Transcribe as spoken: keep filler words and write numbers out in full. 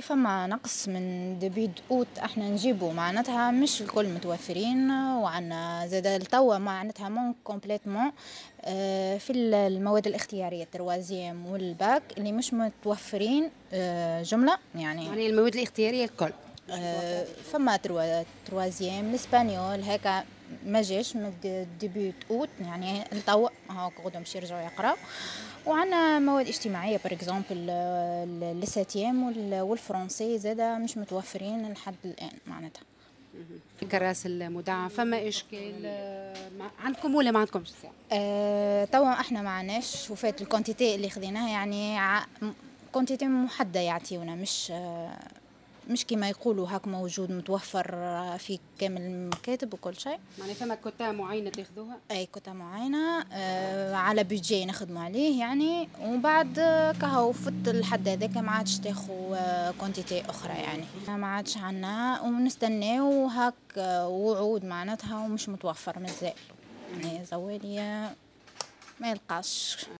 فما نقص من début août، احنا نجيبو معناتها مش الكل متوفرين، وعنا زاد التوا معناتها manque complètement آه، في المواد الاختيارية troisième وال bac اللي مش متوفرين آه، جملة يعني. يعني المواد الاختيارية الكل؟ آه، فما trois troisième، l'espagnol هكا ما جاش من début août، يعني التوا هاك غدوه باش يرجعوا يقراو. وعندنا مواد اجتماعية par exemple les septièmes وال français زاده مش متوفرين لحد الان معناتها. الكراس المدعم فما اشكال عندكم ولا ما عندكمش؟ أه توا احنا ما عندناش، وفات ال quantité اللي خذيناها، يعني quantité محددة يعطيونا، مش آه مش كما يقولوا هاك موجود متوفر في كامل المكاتب وكل شيء. معناها فما كوتا معينة تاخذوها؟ اي، كوتا معينة آه على budget نخدموا عليه يعني، ومن بعد كهو فت الحد هذاك ما عادش تاخو آه quantité اخرى، يعني ما عادش عنا ونستناو هاك آه وعود معناتها ومش متوفر مازال، يعني زوالية ما يلقاش.